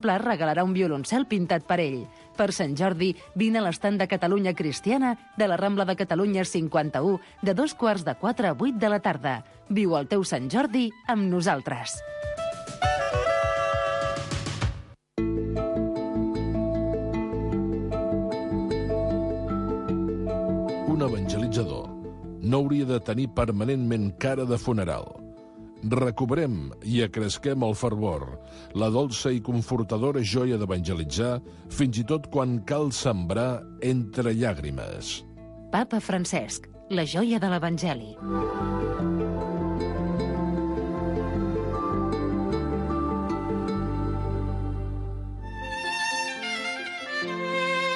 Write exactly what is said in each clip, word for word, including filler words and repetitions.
Pla regalarà un violoncel pintat per ell. Per Sant Jordi, vine a l'estand de Catalunya Cristiana de la Rambla de Catalunya cinquanta-u de dos quarts de quatre a vuit de la tarda. Viu el teu Sant Jordi amb nosaltres. Un evangelitzador no hauria de tenir permanentment cara de funeral. Recobrem i acresquem el fervor, la dolça i confortadora joia d'evangelitzar, fins i tot quan cal sembrar entre llàgrimes. Papa Francesc, la joia de l'Evangeli.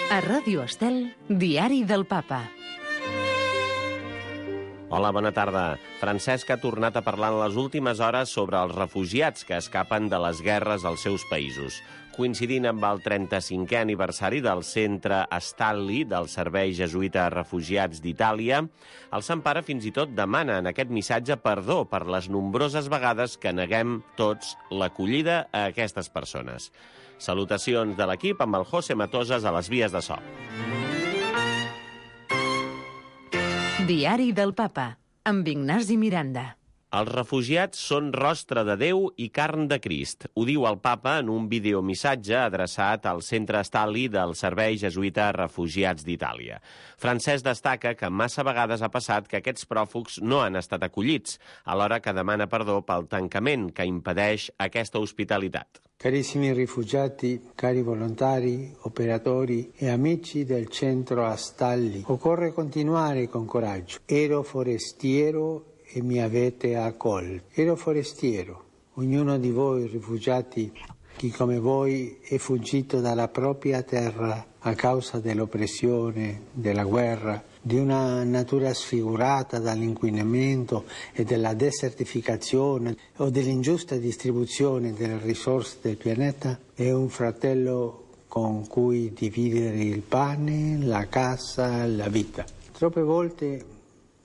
A Ràdio Estel, Diari del Papa. Hola, bona tarda. Francesc ha tornat a parlar en les últimes hores sobre els refugiats que escapen de les guerres als seus països. Coincidint amb el trenta-cinquè aniversari del centre Stalli del Servei Jesuïta a Refugiats d'Itàlia, el Sant Pare fins i tot demana en aquest missatge perdó per les nombroses vegades que neguem tots l'acollida a aquestes persones. Salutacions de l'equip amb el José Matosas a les vies de so. Diari del Papa, amb Ignasi Miranda. Els refugiats són rostre de Déu i carn de Crist. Ho diu el Papa en un videomissatge adreçat al centre Stalli del Servei Jesuïta a Refugiats d'Itàlia. Francesc destaca que massa vegades ha passat que aquests pròfugs no han estat acollits, alhora que demana perdó pel tancament que impedeix aquesta hospitalitat. Carissimi rifugiati, cari volontari, operatori e amici del centro Stalli, occorre continuare con coraggio. Ero forestiero e mi avete accolto. Ero forestiero. Ognuno di voi rifugiati, chi come voi è fuggito dalla propria terra a causa dell'oppressione, della guerra, di una natura sfigurata dall'inquinamento e della desertificazione o dell'ingiusta distribuzione delle risorse del pianeta, è un fratello con cui dividere il pane, la casa, la vita. Troppe volte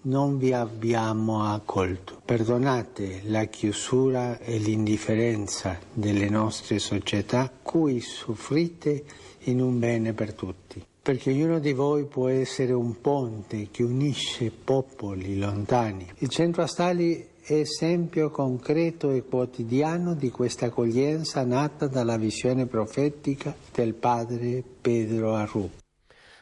non vi abbiamo accolto. Perdonate la chiusura e l'indifferenza delle nostre società, cui soffrite in un bene per tutti. Perché ognuno di voi può essere un ponte che unisce popoli lontani. Il centro Stalli è esempio concreto e quotidiano di questa accoglienza nata dalla visione profetica del padre Pedro Arrupe.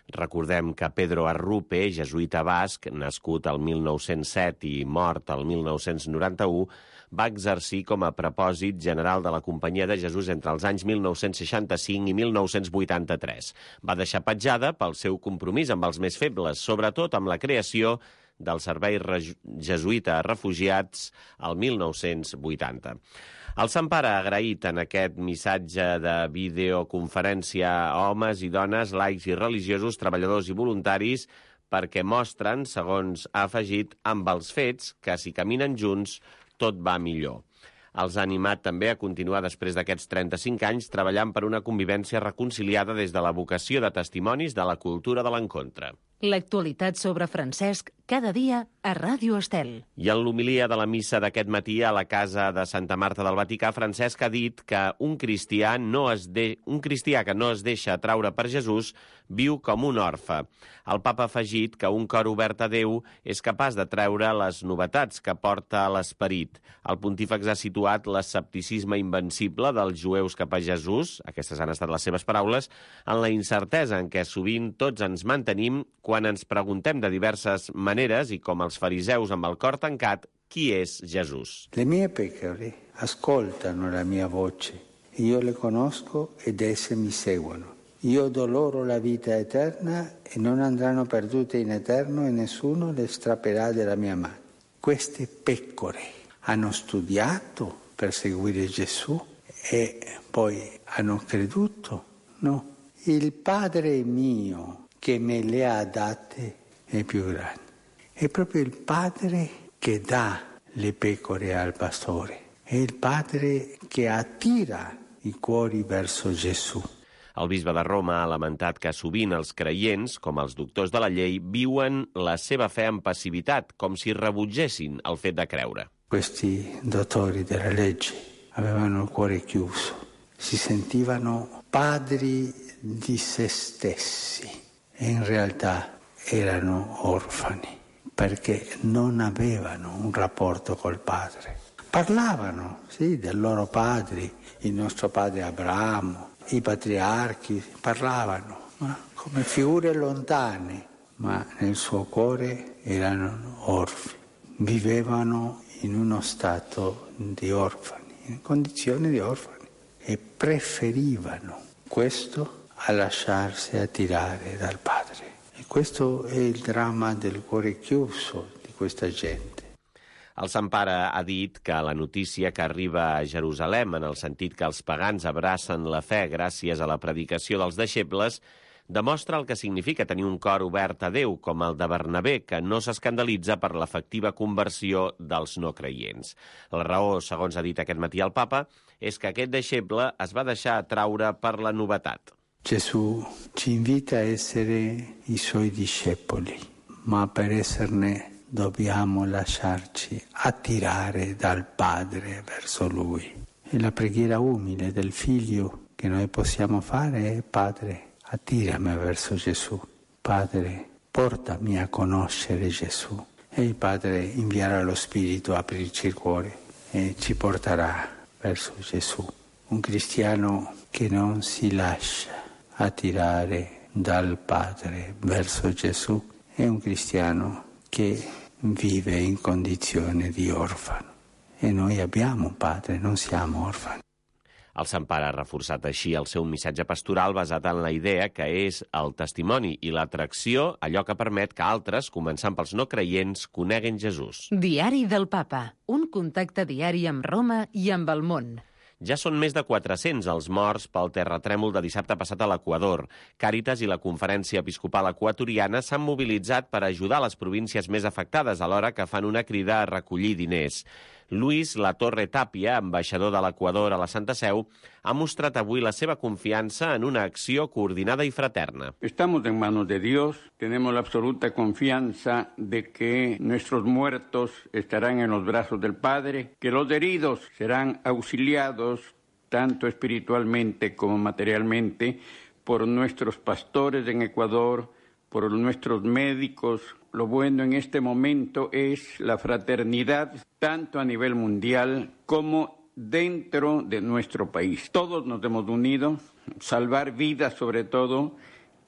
Recordem que Pedro Arrupe, jesuïta basc, nascut al mil nou-cents set i mort al mil nou-cents noranta-u, va exercir com a prepòsit general de la Companyia de Jesús entre els anys mil nou-cents seixanta-cinc i mil nou-cents vuitanta-tres. Va deixar petjada pel seu compromís amb els més febles, sobretot amb la creació del Servei Jesuïta a Refugiats al mil nou-cents vuitanta. El Sant Pare ha agraït en aquest missatge de videoconferència a homes i dones, laics i religiosos, treballadors i voluntaris, perquè mostren, segons ha afegit, amb els fets, que si caminen junts tot va millor. Els ha animat també a continuar després d'aquests trenta-cinc anys treballant per una convivència reconciliada des de la vocació de testimonis de la cultura de l'encontre. L'actualitat sobre Francesc cada dia a Ràdio Estel. I en l'homilia de la missa d'aquest matí a la casa de Santa Marta del Vaticà, Francesc ha dit que un cristià, no es de... un cristià que no es deixa atraure per Jesús viu com un orfe. El papa ha afegit que un cor obert a Déu és capaç de treure les novetats que porta a l'esperit. El pontífex ha situat l'escepticisme invencible dels jueus cap a Jesús, aquestes han estat les seves paraules, en la incertesa en què sovint tots ens mantenim quan ens preguntem de diverses maneres i com els fariseus amb el cor tancat, chi és Jesús? Le mie pecore ascoltano la mia voce, io le conosco ed esse mi seguono. Io do loro la vita eterna e non andranno perdute in eterno e nessuno le strapperà della mia mano. Queste pecore hanno studiato per seguire Gesù e poi hanno creduto? No. Il Padre mio che me le ha date è più grande. È proprio il Padre che dà le pecore al pastore. È il Padre che attira i cuori verso Gesù. El bisbe de Roma ha lamentat que sovint els creients, com els doctors de la llei, viuen la seva fe amb passivitat, com si rebutgessin el fet de creure. Questi dottori della legge avevano il cuore chiuso, si sentivano padri di se stessi e in realtà erano orfani perché non avevano un rapporto col padre. Parlavano, sì, dei loro padri, il nostro padre Abramo, i patriarchi, parlavano, ma come figure lontane, ma nel suo cuore erano orfani, vivevano in uno stato di orfani, in condizioni di orfani, e preferivano questo a lasciarsi attirare dal padre. E questo è il dramma del cuore chiuso di questa gente. El Sant Pare ha dit que la notícia que arriba a Jerusalem, en el sentit que els pagans abracen la fe gràcies a la predicació dels deixebles, demostra el que significa tenir un cor obert a Déu, com el de Bernabé, que no s'escandalitza per l'efectiva conversió dels no creients. La raó, segons ha dit aquest matí el papa, és que aquest deixeble es va deixar atraure per la novetat. Gesù ci invita a essere i suoi discepoli, ma per esserne dobbiamo lasciarci attirare dal Padre verso Lui. E la preghiera umile del Figlio che noi possiamo fare è: Padre, attirami verso Gesù. Padre, portami a conoscere Gesù. E il Padre invierà lo Spirito a aprirci il cuore e ci porterà verso Gesù. Un cristiano che non si lascia attirare dal Padre verso Gesù è un cristiano che vive in condizione di orfano. E noi abbiamo un padre, non siamo orfani. El Sant Pare ha reforçat així el seu missatge pastoral basat en la idea que és el testimoni i l'atracció allò que permet que altres, començant pels no creients, coneguin Jesús. Diari del Papa, un contacte diari amb Roma i amb el món. Ja són més de quatre-cents els morts pel terratrèmol de dissabte passat a l'Equador. Càritas i la Conferència Episcopal Equatoriana s'han mobilitzat per ajudar les províncies més afectades, alhora que fan una crida a recollir diners. Luis Latorre Tapia, ambaixador de l'Equador a la Santa Seu, ha mostrat avui la seva confiança en una acció coordinada i fraterna. Estamos en manos de Dios, tenemos la absoluta confianza de que nuestros muertos estarán en los brazos del Padre, que los heridos serán auxiliados tanto espiritualmente como materialmente por nuestros pastores en Ecuador, por nuestros médicos. Lo bueno en este momento es la fraternidad, tanto a nivel mundial como dentro de nuestro país. Todos nos hemos unido, salvar vidas sobre todo,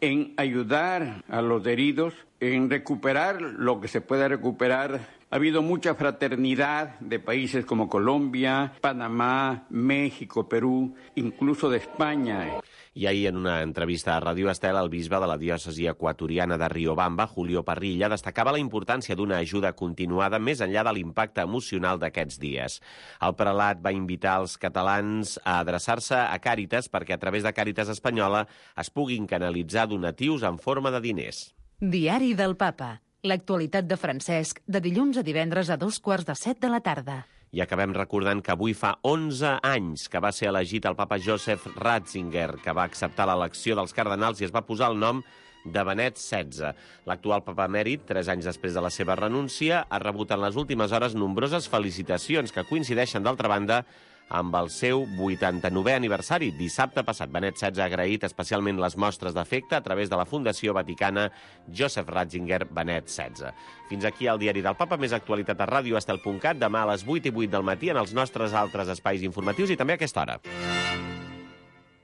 en ayudar a los heridos, en recuperar lo que se pueda recuperar. Ha habido mucha fraternidad de países como Colombia, Panamá, México, Perú, incluso de España. I ahir, en una entrevista a Ràdio Estel, el bisbe de la diòcesi equatoriana de Riobamba, Julio Parrilla, destacava la importància d'una ajuda continuada més enllà de l'impacte emocional d'aquests dies. El prelat va invitar els catalans a adreçar-se a Càritas perquè a través de Càritas Espanyola es puguin canalitzar donatius en forma de diners. Diari del Papa. L'actualitat de Francesc, de dilluns a divendres a dos quarts de set de la tarda. I acabem recordant que avui fa onze anys que va ser elegit el papa Joseph Ratzinger, que va acceptar l'elecció dels cardenals i es va posar el nom de Benet setze. L'actual papa emèrit, tres anys després de la seva renúncia, ha rebut en les últimes hores nombroses felicitacions que coincideixen, d'altra banda, amb el seu vuitanta-novè aniversari. Dissabte passat, Benet setze ha agraït especialment les mostres d'afecte a través de la Fundació Vaticana Joseph Ratzinger Benet setze. Fins aquí el Diari del Papa, més actualitat a radioestel punt cat, demà a les vuit i vuit del matí en els nostres altres espais informatius i també a aquesta hora.